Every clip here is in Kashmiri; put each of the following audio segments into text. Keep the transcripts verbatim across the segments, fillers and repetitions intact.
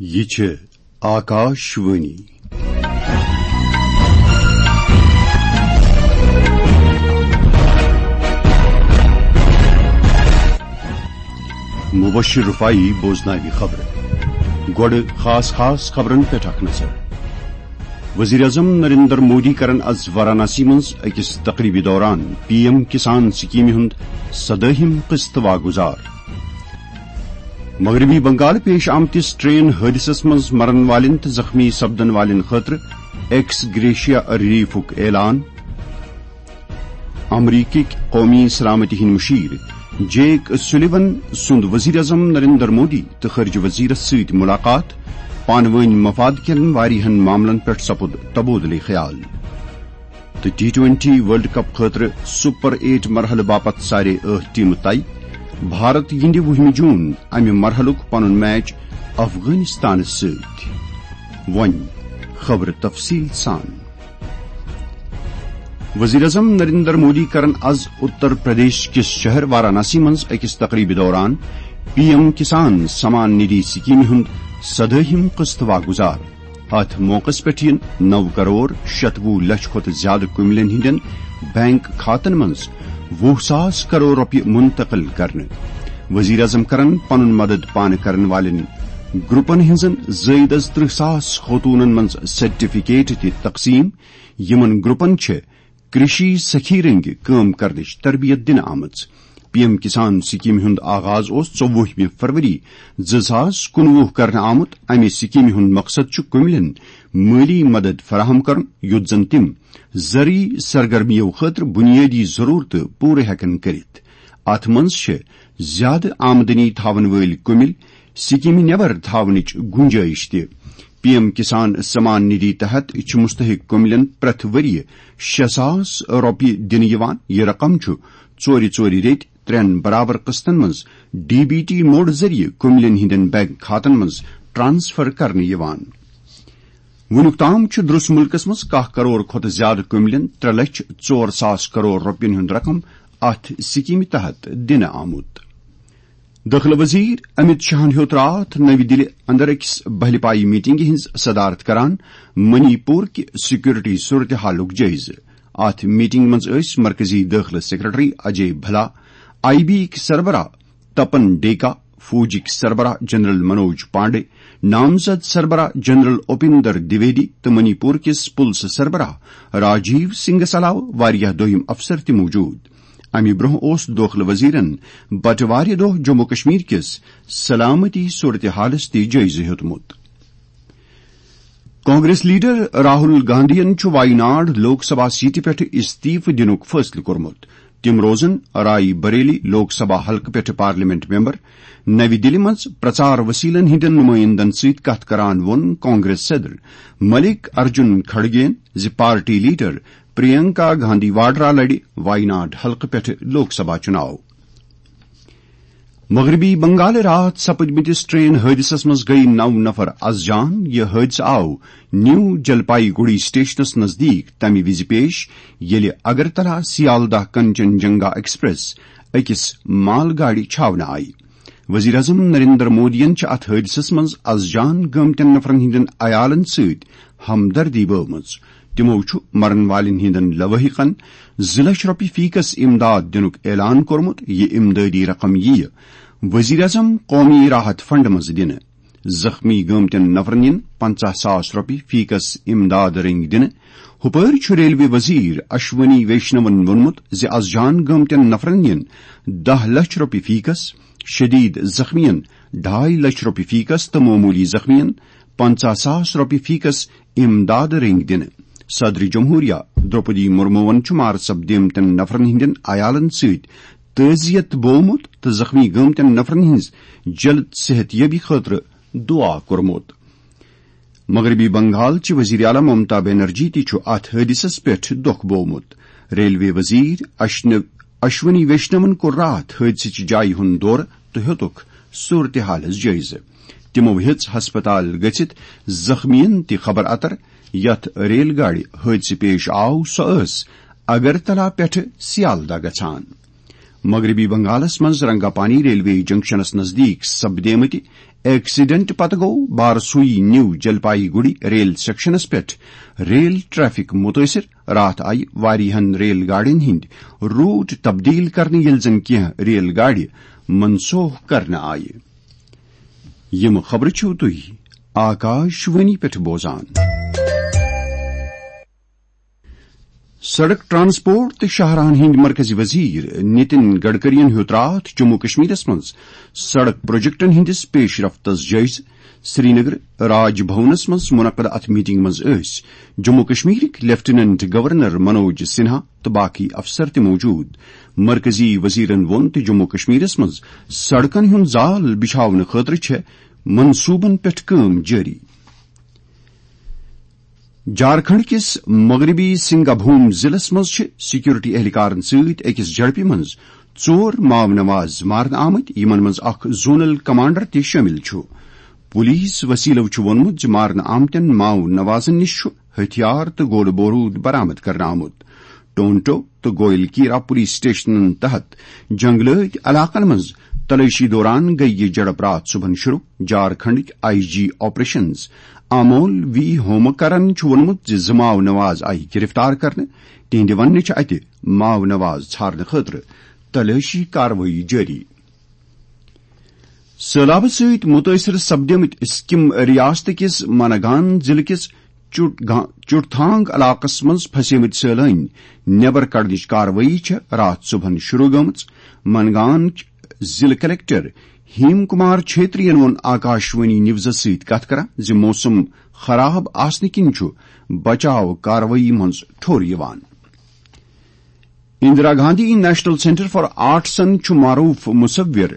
یہِ چھِ آکاش وانی۔ مبشر رفاعی بوزناوِ خبرٕ۔ گۄڈٕ خاص خاص خبرن پٮ۪ٹھ اکھ نظر۔ وزیر اعظم نریندر مودی کرن از وارانسی منٛز أکِس تقریبہِ دوران پی ایم کسان سکیمہِ ہُنٛد سدٲہِم قسط واگُزار۔ مغربی بنگال پیش آمتِس ٹرین حٲدثس منٛز مرن والٮ۪ن تہٕ زخمی سپدن والٮ۪ن خٲطرٕ ایکس گریشیا ریلیفُک اعلان۔ امریکٕکۍ قومی سلامتی ہٕنٛدۍ مشیر جیک سولیون سُنٛد وزیر اعظم نریندر مودی تہٕ خارجہ وزیرس سۭتۍ ملاقات، پانہٕ وٲنۍ مفاد کٮ۪ن واریاہن معاملن پٮ۪ٹھ سپُد تبادلہ خیال۔ تہٕ ٹی ٹوئنٹی ورلڈ کپ خٲطرٕ سپر ایٹ مرحلہٕ باپتھ سارے ٲٹھ ٹیمہٕ طے۔ بھارت گِنٛدِ وُہمہِ جون امہِ مرحلُک پنُن میچ افغانستانس سۭتۍ۔ وۄنۍ خبرٕ تفصیل سان۔ وزیر اعظم نریندر مودی کرن از اتر پردیش کِس شہر وارانسی منٛز أکِس تقریبہِ دوران پی ایم کسان سمان ندھی سکیمہِ ہُنٛد سدٲہِم قسط واگُزار۔ اتھ موقعس پٮ۪ٹھ یِن نو کرور شتوُہ لچھ کھۄتہٕ زیادٕ کُملٮ۪ن ہٕنٛدٮ۪ن بینک کھاتن منٛز وُہ ساس کرور رۄپیہِ منتقل کرنہٕ۔ وزیر اعظم کرن پنُن مدد پانہٕ کرن والٮ۪ن گروپن ہٕنٛزن زٲیدٕ از ترٕہ ساس خوتونن منٛز سرٹیفکیٹ تہِ تقسیم، یِمن گروپن چھِ کرشی سخی رنگہِ کٲم کرنٕچ تربیت دِنہٕ آمٕژ۔ پی ایم کسان سکیمہِ ہُنٛد آغاز اوس ژوٚوُہمہِ فروری زٕ ساس کُنوُہ کرنہٕ آمُت۔ امہِ سکیمہِ ہُنٛد مقصد چھُ کُملٮ۪ن مٲلی مدد فراہم کرُن، یُتھ زن تِم زرعی سرگرمیو خٲطرٕ بنیٲدی ضرورتہٕ پوٗرٕ ہٮ۪کن کٔرِتھ۔ اتھ منٛز چھِ زیادٕ آمدنی تھاون وٲلۍ کُمِل سکیمہِ نٮ۪بر تھاونٕچ گُنجٲیِش تہِ۔ پی ایم کسان سمان ندھی تحت چھِ مستحق کُملٮ۪ن پرٛٮ۪تھ ؤرۍ یہِ شےٚ ساس رۄپیہِ دِنہٕ یِوان۔ یہِ رقم چھُ ژورِ ژورِ ریٚتۍ ترٛٮ۪ن برابر قسطن منٛز ڈی بی ٹی موڈ ذٔریعہٕ کُملٮ۪ن ہٕنٛدٮ۪ن بینک کھاتن منٛز ٹرانسفر کرنہٕ یِوان۔ وُنیُک تام چھُ درس مُلکس منٛز کاہ کرور کھۄتہٕ زیادٕ کُملٮ۪ن ترٛےٚ لچھ ژور ساس کرور رۄپین ہُنٛد رقم اتھ سکیمہِ تحت دِنہٕ آمُت۔ دٲخلہٕ وزیر امت شاہن ہیوٚت راتھ نَوِ دِلہِ اندر أکِس بہلہِ پایہِ میٹنگہِ ہٕنٛز صدارت کران منی پور کہِ سیکورٹی صورتحالُک جٲیزٕ۔ اتھ میٹنگ منٛز ٲسۍ مرکزی دٲخلہٕ سیکرٹری اجے بھلا، آئی بی یِکۍ سربراہ تپن ڈیکا، فوجٕکۍ سربراہ جنرل منوج پانڈے، نامزد سربراہ جنرل اوپیندر دویدی تہٕ منی پور کِس پُلسہٕ سربراہ راجیو سنگھس علاوٕ واریاہ دوٚیم افسر تہِ موجود۔ امہِ برونٛہہ اوس دٲخلہٕ وزیرن بٹوارِ دۄہ جموں کشمیر کِس سلامتی صورتحالس تہِ جٲیزٕ ہیوٚتمُت۔ کانگریس لیڈر راہل گاندھین چھُ وائناڈ لوک سبھا سیٹہِ پٮ۪ٹھ استعفہٕ دِنُک فٲصلہٕ کوٚرمُت۔ تِم روزن راے بریلی لوک سبھا حلقہٕ پٮ۪ٹھ پارلیمنٹ ممبر۔ نَوِ دِلہِ منٛز پرچار وسیلن ہٕنٛدٮ۪ن نمائندن سۭتۍ کتھ کران ووٚن کانگریس صدر ملک ارجن کھڑگین زِ پارٹی لیڈر پرینکا گاندھی واڈرا لڑِ وائناڈ حلقہٕ پٮ۪ٹھ لوک سبھا چُناو۔ مغربی بنگال راتھ سپدمتِس ٹرین حٲدثس منٛز گٔیہِ نو نفر از جان۔ یہِ حٲدثہٕ آو نیو جلپائی گُڑی سٹیشنس نزدیٖک تمہِ وِزِ پیش، ییٚلہِ اگرتلا سیالدہ کنچن جنگا ایکسپریس أکِس مال گاڑِ چھاونہٕ آیہِ۔ وزیر اعظم نریندر مودیَن چھِ اتھ حٲدثس منٛز از جان گٲمتٮ۪ن نفرن ہٕنٛدٮ۪ن عیالن سۭتۍ ہمدردی بٲومٕژ۔ تِمو چھُ مرن والٮ۪ن ہٕنٛدٮ۪ن لوٲحقن زٕ لچھ رۄپیہِ فی کس امداد دِنُک اعلان کوٚرمُت۔ یہِ امدادی رقم یِیہِ وزیر اعظم قومی راحت فنڈ منٛز دِنہٕ۔ زخمی گٲمتٮ۪ن نفرن یِن پنژاہ ساس رۄپیہِ فی کس امداد رٔنگۍ دِنہٕ۔ ہُپٲرۍ چھُ ریلوے وزیر اشونی ویشنون ووٚنمُت زِ از جان گٲمتٮ۪ن نفرن یِن دَہ لچھ رۄپیہِ فی کس، شدید زخمین ڈاے لچھ رۄپیہِ فی کس تہٕ معمولی زخمین پنژاہ ساس رۄپیہِ فی کس امداد رٔنگۍ دِنہٕ۔ صدر جمہوریہ درٛوپدی مرموون چھُ مارٕ سپدیمتٮ۪ن نفرن ہٕنٛدٮ۪ن عیالن سۭتۍ تعزیت بوومُت تہٕ زخمی گٲمتٮ۪ن نفرن ہٕنٛز جلد صحت یابی خٲطرٕ دعا کوٚرمُت۔ مغربی بنگال چہِ وزیر اعلیٰ ممتا بنرجی تہِ چھُ اتھ حٲدثس پٮ۪ٹھ دۄکھ بوومُت۔ ریلوے وزیر اشن-، اشونی ویشنون کوٚر راتھ حٲدثٕچہِ جایہِ ہُنٛد دورٕ تہٕ ہیوٚتُکھ صورتحالس جٲیزٕ۔ تِمو ہیٚژ ہسپتال گٔژھِتھ زخمیَن تہِ خبر اتر۔ یتھ ریل گاڑِ حٲدثہٕ پیش آو، سۄ ٲس اگرتلا پٮ۪ٹھٕ سیالدہ گژھان۔ مغربی بنگالس منٛز رنگاپانی ریلوے جنکشنس نزدیٖک سپدیمٕتہِ ایکسیڈنٹ پتہٕ گوٚو بارسوئی نیو جلپائی گڑی ریل سیکشنس پٮ۪ٹھ ریل ٹریفک متٲثر۔ راتھ آیہِ واریاہن ریل گاڑین ہٕنٛدۍ روٹ تبدیل کرنہٕ، ییٚلہِ زن کینٛہہ ریل گاڑِ منسوخ کرنہٕ آیہِ۔ یِم خبرٕ چھِو تُہۍ آکاش وانی پٮ۪ٹھ بوزان۔ سڑک ٹرانسپورٹ تہٕ شاہراہن ہٕنٛدۍ مرکزی وزیر نتن گڈکرین ہیوٚت راتھ جموں کشمیرس منٛز سڑک پروجیکٹن ہٕنٛدِس پیش رفتس جٲیزٕ۔ سرینگر راج بھونس منٛز منعقد اتھ میٹنگ منٛز ٲسۍ جموں کشمیرٕکۍ لیفٹیننٹ گورنر منوج سنہا تہٕ باقی افسر تہِ موجود۔ مرکزی وزیرن ووٚن تہِ جموں کشمیرس منٛز سڑکن ہُنٛد زال بچھاونہٕ خٲطرٕ چھےٚ منصوبن پٮ۪ٹھ کٲم جٲری۔ جھارکھنڈ کِس مغربی سنگابھوم ضلعس منٛز چھِ سیکورٹی اہلکارن سۭتۍ أکِس جھڑپہِ منٛز ژور ماؤ نواز مارنہٕ آمٕتۍ، یِمن منٛز اکھ زونل کمانڈر تہِ شٲمِل چھُ۔ پولیس وسیلو چھُ ووٚنمُت زِ مارنہٕ آمتٮ۪ن ماؤ نوازن نِش چھُ ہتھیار تہٕ گولہٕ بوروٗد برآمد کرنہٕ آمُت۔ ٹونٹو تہٕ گویل کیرا پولیس سٹیشنن تحت جنگلٲتۍ علاقن منٛز تلٲشی دوران گٔیہِ یہِ جھڑپ راتھ صبحن شروع۔ جھارکھنڈٕکۍ I G operations Amol V Homkar چھُ ووٚنمُت زِ زٕ ماؤ نواز آیہِ گرفتار کرنہٕ۔ تِہنٛدِ وننہٕ چھِ اتہِ ماؤ نواز ژھارنہٕ خٲطرٕ تلٲشی کاروٲیی جٲری۔ سٔہلابہٕ سۭتۍ مُتٲثِر سپدیمٕتۍ سکم ریاست کِس منگان ضلعہٕ کِس چُٹ گا-، چُٹتھانگ علاقس منٛز پھسیمٕتۍ سٲلٲنۍ نٮ۪بر کڑنٕچ کاروٲیی چھےٚ راتھ صبحن شروع گٔمٕژ۔ منگان ضلعہٕ کلکٹر ہیم کمار چھیترین ووٚن آکاشوانی نیوزس سۭتۍ کتھ کران زِ موسم خراب آسنہٕ کِنۍ چھُ بچاو کاروٲیی منٛز ٹھوٚر یِوان۔ Indira Gandhi national centre for آرٹسن چھُ معروف مصور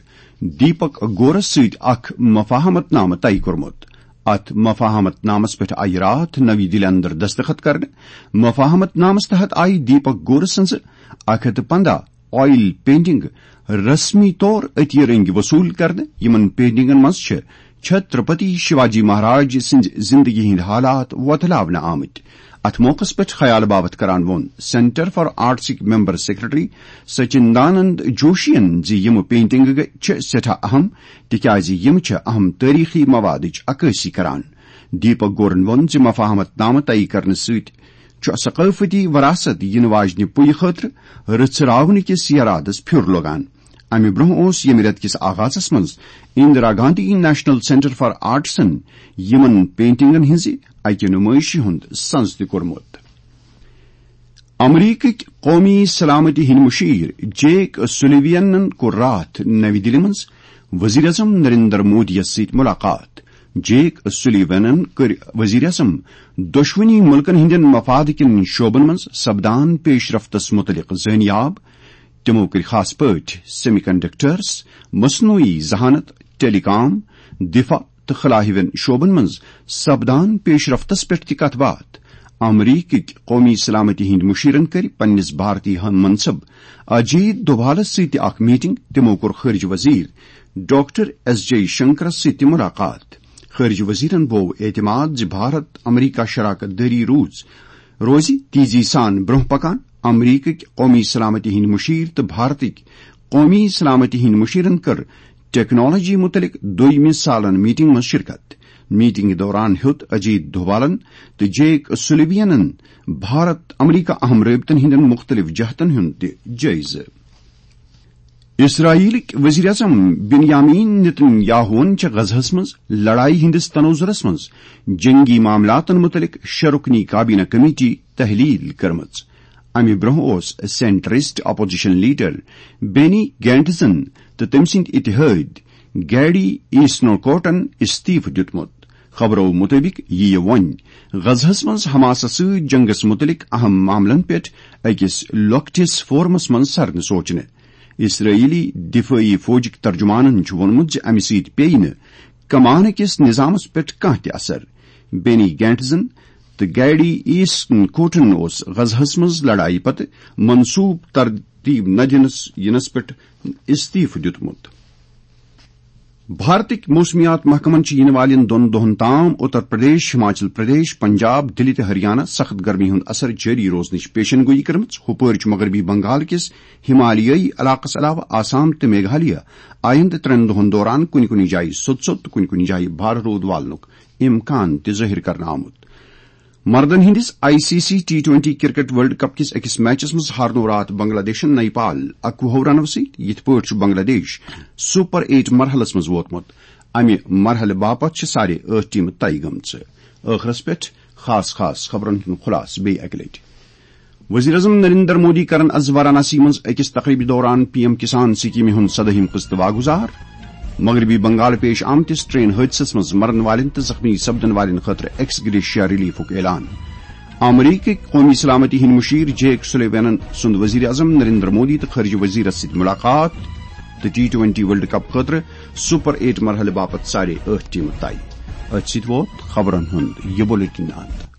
دیپک گورس سۭتۍ اکھ مفاہمت نامہٕ طے کوٚرمُت۔ اتھ مفاہمت نامس پٮ۪ٹھ آیہِ راتھ نوی دِلہِ اندر دستخط کرنہٕ۔ مفاہمت نامس تحت آیہِ دیپک گور سٕنٛزٕ اکھ ہتھ تہٕ پنٛداہ آئل پینٹنگ رسمی طور عطیہ رنگۍ وصول کرنہٕ۔ یِمن پینٹنگن منٛز چھِ چھترپتی شیواجی مہاراج سٕنٛزِ زندگی ہٕنٛدۍ حالات وۄتلاونہٕ آمٕتۍ۔ اتھ موقعس پٮ۪ٹھ خیال باوتھ کران ووٚن سینٹر فار آرٹسٕکۍ ممبر سیکرٹری سچندانند جوشین زِ یِم پینٹنگہٕ چھِ سٮ۪ٹھاہ اہم، تِکیازِ یِم چھِ اہم تٲریخی موادٕچ عکٲسی کران۔ دیپک گورن ووٚن زِ مفاہمت نامہٕ طے کرنہٕ سۭتۍ چھُ ثقافتی وراثت یِنہٕ واجنہِ پُیہِ خٲطرٕ رژھراونہٕ کِس یرادس پھیُر لوگان۔ امہِ برونٛہہ اوس ییٚمہِ رٮ۪تہٕ کِس آغازس منٛز Indira Gandhi national centre for آرٹسن یِمن پینٹنگن ہٕنٛزِ اکہِ نُمٲیشہِ ہُنٛد سنز تہِ کوٚرمُت۔ امریکٕکۍ قومی سلامتی ہٕنٛدۍ مشیر جیک سلیوینن کوٚر راتھ نوِ دِلہِ منٛز وزیر اعظم نریندر مودی یَس سۭتۍ ملاقات۔ جیک سلیوینن کٔرۍ وزیر اعظم دۄشوٕنی مُلکن ہٕنٛدٮ۪ن مفادٕ کٮ۪ن شعبن منٛز سپدان پیش رفتس مُتعلق زٲنیاب۔ تِمو کٔرۍ خاص پٲٹھۍ سیمی کنڈکٹرز، مصنوعی ذہانت، ٹیلی کام، دفاع تہٕ خلا ہِوٮ۪ن شعبن منٛز سپدان پیش رفتس پٮ۪ٹھ تہِ کتھ باتھ۔ امریکٕکۍ قومی سلامتی ہٕنٛدۍ مُشیرن کٔرۍ پننِس بھارتی ہم منصب اجیت دوبھالس سۭتۍ تہِ اکھ میٹنگ۔ تِمو کوٚر خارجہ وزیر ڈاکٹر ایس جے شنکرس سۭتۍ تہِ ملاقات۔ خارجہ وزیرن بوو اعتماد زِ بھارت امریکہ شراکت دٲری روٗز، روزِ تیزی سان برونٛہہ پکان۔ امریکٕکۍ قومی سلامتی ہٕنٛدۍ مُشیر تہٕ بھارتٕکۍ قومی سلامتی ہٕنٛدۍ مُشیرن کٔر ٹیکنالوجی مُتعلق دوٚیمہِ سالن میٹنگ منٛز شرکت۔ میٹنگ دوران ہیوٚت اجیت دوبھالن تہٕ جیک سلیوینن بھارت امریکہ اہم رٲبطن ہٕنٛدٮ۪ن مُختٔلِف جہتن ہُنٛد تہِ جٲیزٕ۔ اسرائیلٕکۍ وزیر اعظم بنیامین نتن یاہوہن چھِ غزہس منٛز لڑایہِ ہٕنٛدِس تناظرس منٛز جنگی معاملاتن مُتعلق شےٚ رُکنی کابینہ کمیٹی تحلیل کٔرمٕژ۔ امہِ برونٛہہ اوس سینٹرسٹ اپوزیشن لیڈر بینی گینٹزن تہٕ تٔمۍ سٕنٛدۍ اتحٲدۍ گیڈی ایسنوکوٹن استعفہٕ دیُتمُت۔ خبرو مُطٲبِق یِیہِ وۄنۍ غزہس منٛز حماسس سۭتۍ جنگس مُتعلق اہم معاملن پٮ۪ٹھ أکِس لۄکٹِس فورمس منٛز سرنہٕ سوچنہٕ۔ اسرائیلی دفٲعی فوجٕکۍ ترجمانن چھُ ووٚنمُت زِ امہِ سۭتۍ پیٚیہِ نہٕ کمانہٕ کِس نظامس پٮ۪ٹھ کانٛہہ تہِ اثر۔ بینی گینٹزن تہٕ گیڈی ایسنوکوٹن اوس غزہس منٛز لڑایہِ پتہٕ منصوبہٕ ترتیب نہ دِنس یِنس پٮ۪ٹھ استعفہٕ دیُتمُت۔ بھارتٕکۍ موسمیات محکمن چھِ یِنہٕ والٮ۪ن دۄن دۄہن تام اتر پردیش، ہماچل پردیش، پنجاب، دِلہِ تہٕ ہریانہ سخت گرمی ہُنٛد اثر جٲری روزنٕچ پیشن گویی کٔرمٕژ۔ ہُپٲرۍ چھُ مغربی بنگال کِس ہمالیٲیی علاقس علاوٕ آسام تہٕ میگھالیہ آیندٕ ترٛٮ۪ن دۄہن دوران کُنہِ کُنہِ جایہِ سوٚت سوٚت تہٕ کُنہِ کُنہِ جایہِ بھارٕ روٗد والنُک امکان تہِ ظٲہِر کرنہٕ آمُت۔ مردن ہٕنٛدِس I C C T twenty cricket world cup کِس أکِس میچس منٛز ہارنوو راتھ بنگلہ دیشن نیپال اَکوُہو رنو سۭتۍ۔ یِتھ پٲٹھۍ چھُ بنگلہ دیش سپر ایٹ مرحلس منٛز ووتمُت۔ امہِ مرحلہٕ باپتھ چھِ سارے ٲٹھ ٹیمہٕ طے گٔمژٕ۔ ٲخرس پٮ۪ٹھ خاص خاص خبرن ہُنٛد خلاصہٕ بیٚیہِ اکہِ لٹہِ۔ وزیر اعظم نریندر مودی کرن از وارانسی منٛز أکِس تقریبہِ دوران پی ایم کسان سکیمہِ ہُنٛد سدٲہِم قسط واگزار۔ مغربی بنگال پیش آمتِس ٹرین حٲدثس منٛز مرن والٮ۪ن تہٕ زخمی سپدن والٮ۪ن خٲطرٕ ایکس گریشیا ریلیفُک اعلان۔ امریکٕکۍ قومی سلامتی ہٕنٛدۍ مشیر جیک سلیوانن سُنٛد وزیر اعظم نریندر مودی تہٕ خارجہ وزیرس سۭتۍ ملاقات۔ تہٕ ٹی ٹوئنٹی ورلڈ کپ خٲطرٕ سپر ایٹ مرحلہٕ باپتھ سارے ٲٹھ ٹیمہٕ طے۔ أتھۍ سۭتۍ ووت خبرن ہُنٛد یہِ بلیٹن اند۔